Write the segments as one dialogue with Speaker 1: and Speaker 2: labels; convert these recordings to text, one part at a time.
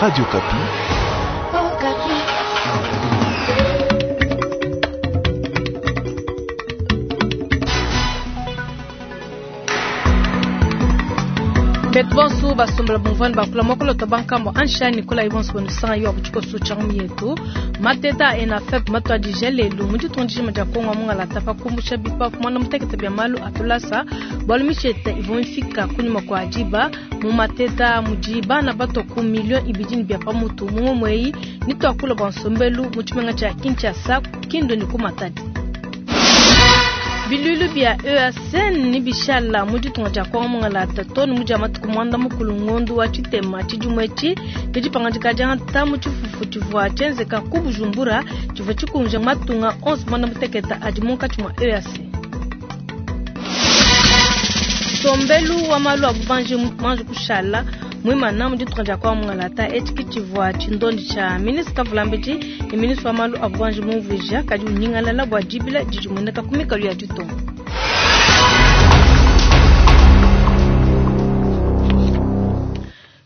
Speaker 1: Radio Okapi.
Speaker 2: Betu bonso basombela bumvuani bakula mokolo to bankambo anshani kula ibonso bonusanga yo abuchiko changu yetu mateta enafep matuadija lelu mu ditunga dijima dia Kongo mungalata pa kumbusha bipapu muanda mutekete bia malu a tulasa bualu mishete ivua mifika kunyima kua diba mu mateta mudi bana batua ku miliyo ibidi ne bia pamutu mu ngumu eyi ne tuakula bua nsombelu mu tshimenga tshia Kinshasa, Kindu ne ku Matadi. Biluilu bia EAC ne bishala mu ditunga dia Kongo mungalata too ne mu dia matuku muanda mukulu ngondu wa tshitema tshidimu etshi ke dipangadika diangata mu tshifufu tshivua tshienzeka ku Bujumbura tshivua tshikunja matunga onso muanda muteketa adi munkatshi mua EAC. Nsombelu wa malu a bubanji muanji kushala muimana mu ditunga dia Kongo mungalata etshi ke tshivua tshindondi tshia ministre Kavulambedi ne ministre wa malu a bubanji mumvuija kadi unyingalala bua dibila didi dimueneka ku mikalu ya ditunga.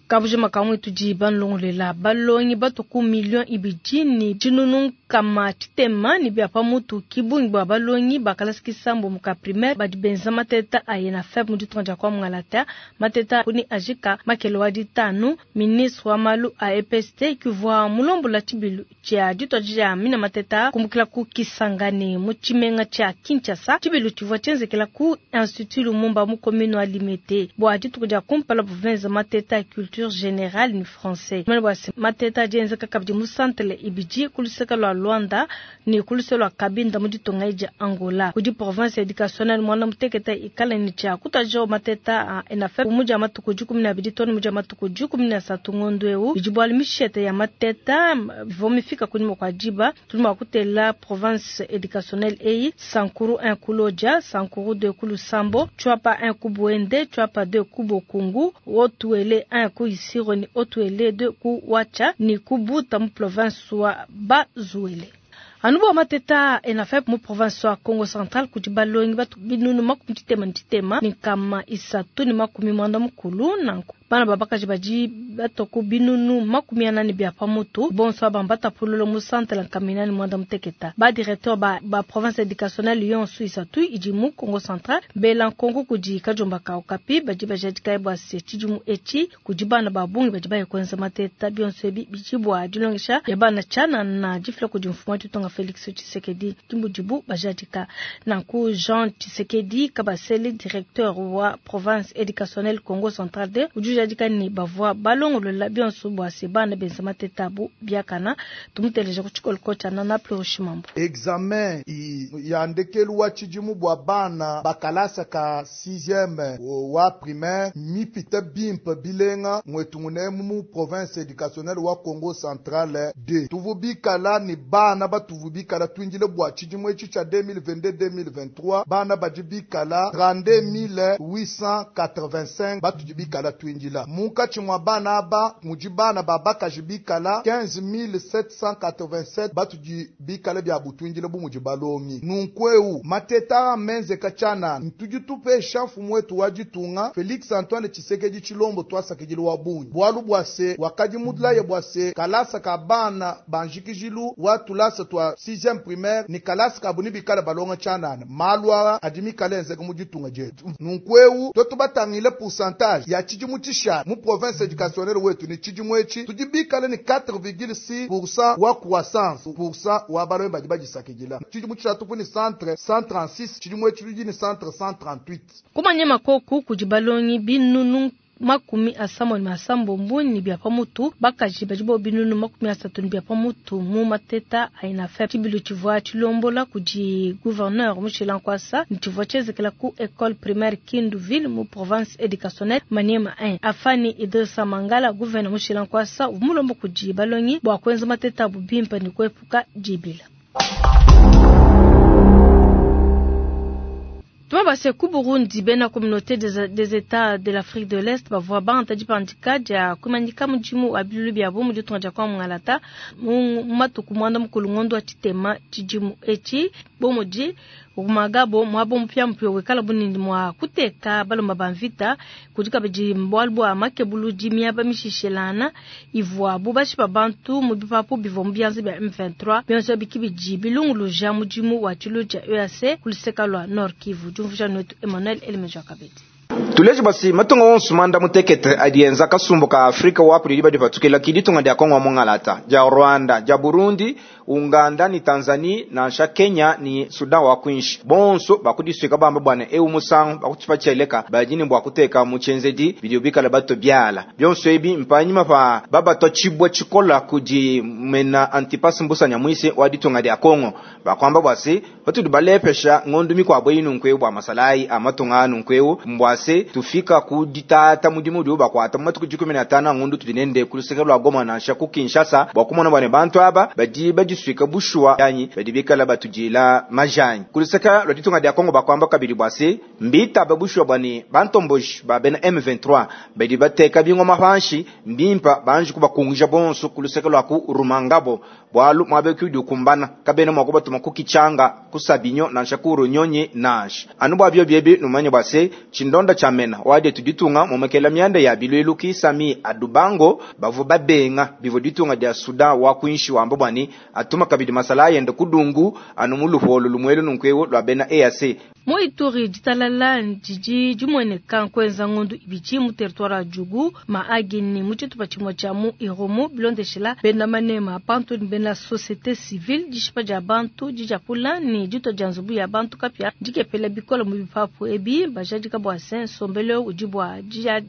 Speaker 2: Kabujima kamue tudi banulongoluela balongi batua ku miliyo ibidi ne tshinunu nkama tshitema ne bia pa mutu ki bungi bua balongi ba kalasa kisambombo ka primaire badi benza mateta a ENAFEP mu ditunga dia kwa Mungalata. Mateta kuni ajika makele wa ditanu. Ministre wa malu a EPST kivua mulombola tshibilu tshia dituadija mina mateta kumbukila ku Kisangani mu tshimenga tshia Kinshasa. Tshibilu tshivua tshienzekela ku Institut Lumumba mu commune wa Limete bua dituku dia kumpala bavua benza mateta a culture générale ni français. Mane bua se mateta adi enzeka kabidi mu centre ibidi ku luseke lua Luanda ne ku luse lua Cabinda mu ditunga dia Angola. Kudi province educationnelle muanda mutekete ikala ne tshia kutuadija mateta a ENAFEP mu dia matuku dikumi ne abidi too ne mu dia matuku dikumi ne asatu ngondu eu. Bidi bualu mishete ya mateta ivua mifika kunyima kua diba. Tudi mua kutela province educationnelle eyi: Sankuru 1 ku Lodja, Sankuru 2 ku Lusambo, Tshuapa 1 ku Boende, Tshuapa 2 ku Bokungu, Haut-Uele 1 ku Isiro ne Haut-Uele 2 ku Watcha ne ku Buta mu province wa Bas-Uele. Anu bua mateta a ENAFEP mu province wa Kongo Central kudi balongi batu binunu makumi tshitema ne tshitema ne nkama isatu ne makumi muanda mukulu. Nanku bana ba bakaji badi batua ku binunu makumi ana ne bia pa mutu bonso aba mbatapulula mu centre nkama ina ne muanda muteketa. Ba directeur ba, ba province educationnelle yonso isatu idi mu Kongo Central bela nkonko kudi kadiomba ka Okapi badi bajadika bua se tshidimu etshi kudi bana ba bungi badi baye kuenza mateta. Bionso ebi bidi bua dilongesha dia bana tshianana difila kudi mfumu wa ditunga Felix Tshisekedi ki mudibu bajadika. Nanku Jean Tshisekedi Kabasele directeur wa province educationnelle Kongo Central 2 udi ujadika ne bavua balongolola bionso bua se bana benza mateta abu biakana. Tumuteleja ku tshikoloko tshia Nana Pluri Shimambu.
Speaker 3: Examen ya ndekelu wa tshidimu bua bana ba kalasa ka sixieme wa primaire mmipite bimpe bilenga muetu munemu mu province educationnelle wa Kongo Central 2. Tuvu bikala ne bana batuvu bikala tuindile bua tshidimu etshi tshia 2022-2023, bana badi bikala 32885 batudi bikala tuindila. Munkatshi mua bana aba mudi bana ba bakaji bikala 15787 batudi bikala bia butuindila bu mudi balongi. Nunku eu mateta a menzeka tshianana, tudi tupesha mfumu wetu wa ditunga Felix Antoine Tshisekedi Tshilombo tuasakidila wa bungi, bualu bua se wakadi mulaye bua se kalasa ka bana ba njikijilu wa tulasa tua 6e primaire ne kalasa kabu ne bikala balonga tshianana. Malu aa adi mikale enzeka mu ditunga dietu. Nunku eu tuetu batangile pourcentage ya tshidimu tshishala mu province educationnelle wetu ne tshidimu etshi tudi bikale ne 4,6% wa croissance pourcent wa balongi badi badisakidila. Tshidimu tshishala tupu ne centre 136, tshidimu etshi tudi ne centre 138.
Speaker 2: Kumanya makoku kudi balongi binunu makumi asambombo ne asambombo ne bia pa mutu, bakaji badi bo binunu makumi asatu ne bia pa mutu mu mateta a ENAFEP. Tshibilu tshivua tshilombola kudi gouverneur Mushila Nkuasa ne tshivua tshienzekela ku Ecole primaire Kindu ville mu province educationnelle Maniema 1. Afani Idrissa Mangala, gouverneur Mushila Nkuasa uvua mulomba kudi balongi bua kuenza mateta abu bimpe ne kuepuka dibila. Tubabase ku Burundi, bena communauté des, des Etats de l'Afrique de l'Est bavua bangata dipandika dia kuimanyika mudimu wa biluilu biabu mu ditunga dia kwa Mungalata mu matuku muanda mukulu ngondo wa tshitema tshidimu etshi. Bu mudi Rumangabo muaba mupiamupia wikala bunene mua kuteka baluma ba mvita. Kudi kabidi bualu bua makebuludi miaba mishishelana ivuabu bashipa bantu mu bipapu bivua mu bianza bia M23. Bionso abi kibidi bilunguluja mudimu wa tshilu tshia EAC ku luseka lua Nord Kivu. Diumvuija netu Emmanuel Elemeja kabidi.
Speaker 1: Tuleje basi matunga wonso manda mutekete adi enza kasumbu ka Afrika wa kudi diba dipatukila ki ditunga dia Kongo wa mungalata, dia Rwanda, dia Burundi, Uganda ni Tanzania nansha Kenya ni Sudan wa kwinshi. Bonso bakudisuika bamba bwana eu musangu bakutshipa tshieleka badi ne bua kuteka mu tshienzedi bidi bikala bato biala. Bionso ebi mpanyima pa babatwa tshibwa tshikola kudi mena Antipas Mbusa Nyamwisi wa ditunga dia Kongo. Bakwamba bwasi batudi balepesha ngondu mikwabo inu nkweu bwa masalai amatunga anu nkweu mbwase tufika ku ditata mudimu udi bakwata mu matuku 15 ngondu tudi nende ku luseke lwa Goma nansha ku Kinshasa bwa kumona bwane bantu aba badi badisuika bushuwa yanyi badi bikala batujila majanyi. Ku luseke lwa ditunga dia Kongo bakwamba kabidi bwase mbita babushuwa bwane bantomboji ba bena M23 badi bateka bingoma panshi mbimpa banji kubakungisha bonso ku luseke lwa ku Rumangabo bwalu mwabe ku kumbana kabena mwakuba tuma kukichanga kusabinyo nansha kurunyonyi nansha anu bwa byo byebi numanye bwase chindonda chamena wade tuditunga momekela myanda ya bilwelu kisami adubango bavu babenga bivo ditunga dia Sudan wa kuinshi wamba bwani atuma kabidi masala yende kudungu anu muluholo lumwelu nunkwewo lwa bena EAC.
Speaker 2: Mu Ituri ditalala ndidi dimweneka nkwenza ngondu ibidi mu territoire ya Djugu Mahagi ni mu tshitupa tshimue tshia mu Irumu bilondeshela bena manema bantu ni bena société civile dishipa dia bantu dijakula ni dito dia nzubu ya bantu kapia dikepela bikola mu bipapu ebi bajadika bua se nsombelo udi bua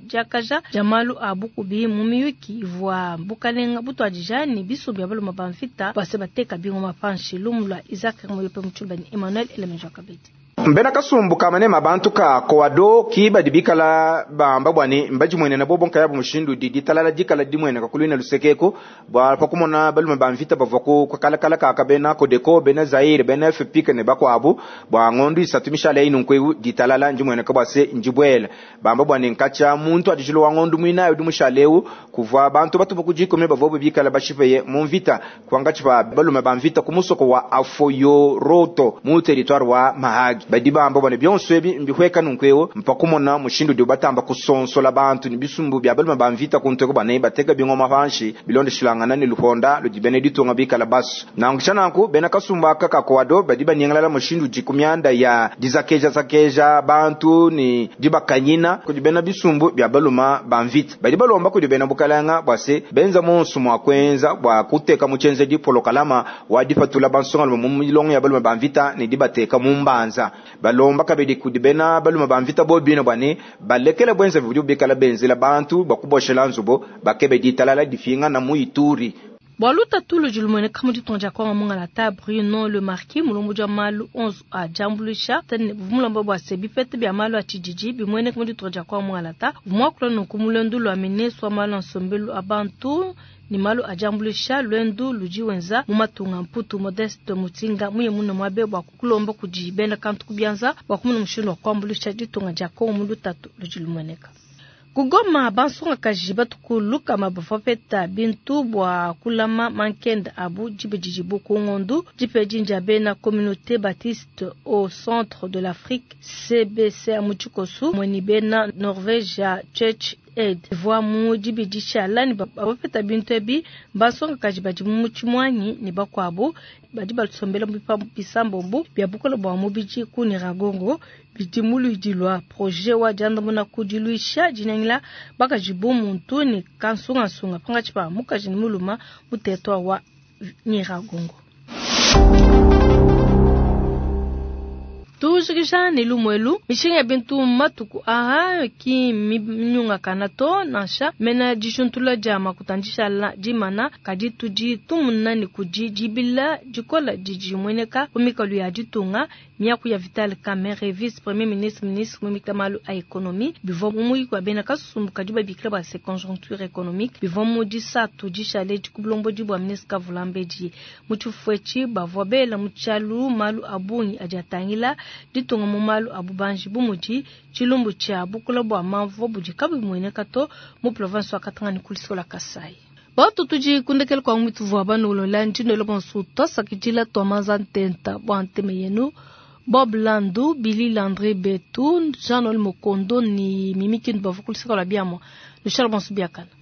Speaker 2: diakaja dia malu a bukubi mu miyuki ivua bukalenga butuadija ni bisumbu bia baluma ba mvita bua se bateka bingoma panshi. Lumu lua Isaac Muyope Mutshulba ni Emmanuel Elemenjo Kabedi.
Speaker 1: Mbena kasumbu kamane mabantu ka koado ki badi bikala bamba bwani mbajimwene na bobo nkaya mushindu di ditalala dikala dimwene kakulina lusekeko bwa pakumona balume ba mvita bavwa ku kala kala ka bena kodeko bena Zaire bena FPK ne bakwabu bwa ngondu isatu mishale inu nkwe ditalala njimwene ka bwase njibwela bamba bwani nkacha muntu adijilo wa ngondu mwina yudi mushaleu kuvwa bantu batu bakujikome bavwa bikala bashipeye mu mvita kwangachi ba balume ba mvita kumusoko wa Afoyoroto mu territoire wa Mahagi. Badi bamba bwana byonso ebi mbihweka nunkwewo mpakumona mushindu dio batamba kusonsola bantu ni bisumbu bya balume ba mvita kunteko bane bateka bingoma panshi bilondeshilangana ni luponda ludi ditunga bikala basu nangisha nanku bena kasumba kaka koado badi banyangalala mushindu dikumyanda ya dizakeja zakeja bantu ni dibakanyina kudi bena bisumbu bya baluma ba mvita badi balomba kudi bena bukalanga bwase benza monsu mwa kwenza bwa kuteka muchenze dipolokalama wadipatula bansonga mu milongo ya balume ba mvita ni dibateka mumbanza balomba kabidi kudi bena baluma ba mvita bobino bwane balekela bwenza budi bikala benzela bantu bakuboshela nzubo bakebe ditalala difinga na muituri.
Speaker 2: Bwaluta tulu julumene kamu ditonja kwa mungalata Bruno Le Marquis mulombo ja malu 11 a jambulisha tene mulombo bwa sebi pete bya malu a tshididi bimwene kamu ditonja kwa mungalata mwakula nokumulendo lwa mineswa malu nsombelu abantu ni malu a jambulisha lwendu luji wenza mu matunga Mputu Modeste Mutinga muye muno mwabe bwa kukulomba kudi bena kantu kubyanza bwa kumuna mushindu wa kuambulisha ditunga dia Kongo mu lutatu luji lumeneka. Kugoma bansonga kaji batukuluka mabafapeta bintu bwa kulama mankenda abu jibejijibu kungondu jipejinja bena communauté baptiste au centre de l'Afrique CBC amuchikosu mweni bena Norvège Church Aid voa mu jibidisha lani bafapeta bintu ebi bansonga kaji badi mu chimwanyi ni bakwabo badi basombela mu bisambombo bya bukola bwa mubiji ku Nyiragongo bidimulu dilwa projet wa jandamuna kudiluisha jinangila bakajibu muntu ni kansunga sunga panga chipa mukaji ni muluma mutetwa wa Nyiragongo. Tujikisha ni lumwelu mishinga ya bintu matuku aha ki minyunga kanato nansha mena dishuntula ja makutandisha la jimana kadi tuji tumuna ni kuji jibila jikola jiji mweneka kumikalu ya jitunga miaku ya Vital Kamerhe vice premier ministre ministre mwimika malu a ekonomi bivo mumuyi kwa bena kasumbu kadi babikila ba se conjoncture économique bivo mudi satu jishale jikublombo jibwa ministre Kavulambeji muchufwechi bavwa bela muchalu malu abungi ajatangila ditunga mu malu abubanji bumuji chilumbu cha bukula bwa mamvo budi kabu mwene kato mu province wa Katanga ni kulisola Kasai. Batu tuji kundekele kwa mwitu vwa banu ulola njino lo bonsu tosa kijila tomaza ntenta bwa nteme yenu. Bob Landu, Billy Landry Betu, Jean Noel Mokondo ni Mimi Kindu bavua ku luseke lua biamua. Lushale bonso biakana.